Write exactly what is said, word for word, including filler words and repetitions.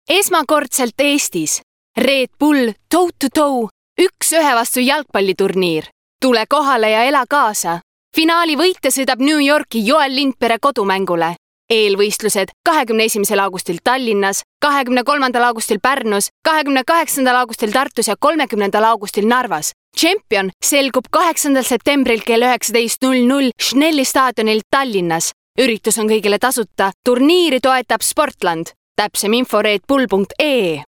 Esmakordselt Eestis. Red Bull toe-to-toe, üks ühe vastu jalgpalliturniir. Tule kohale ja ela kaasa. Finaali võitja sõidab New Yorki Joel Lindpere kodumängule. Eelvõistlused kahekümne esimesel augustil Tallinnas, kahekümne kolmandal augustil Pärnus, kahekümne kaheksandal augustil Tartus ja kolmekümnendal augustil Narvas. Champion selgub kaheksandal septembril kell üheksateist null null Schnelli staadionil Tallinnas. Üritus on kõigile tasuta. Turniiri toetab Sportland. Täpsem info redbull punkt ee.